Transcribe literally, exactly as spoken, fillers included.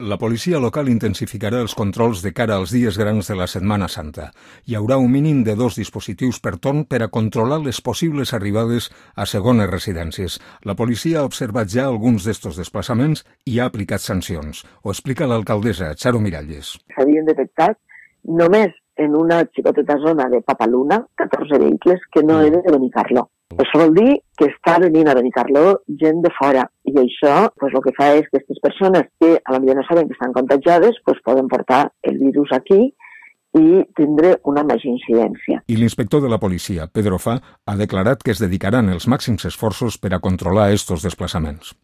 La policia local intensificarà els controls de cara als dies grans de la Setmana Santa. Hi haurà un mínim de dos dispositius per torn per a controlar les possibles arribades a segones residències. La policia ha observat ja alguns d'estos desplaçaments i ha aplicat sancions. Ho explica l'alcaldessa, Charo Miralles. S'havien detectat només en una xicoteta zona de Papaluna catorze vehicles que no eren de Benicarló. Això vol dir que està venint a Benicarló gent de fora i això pues, el que fa és que aquestes persones que a la millor no saben que estan contagiades pues, poden portar el virus aquí i tindre una major incidència. I l'inspector de la policia, Pedro Fa, ha declarat que es dedicaran els màxims esforços per a controlar estos desplaçaments.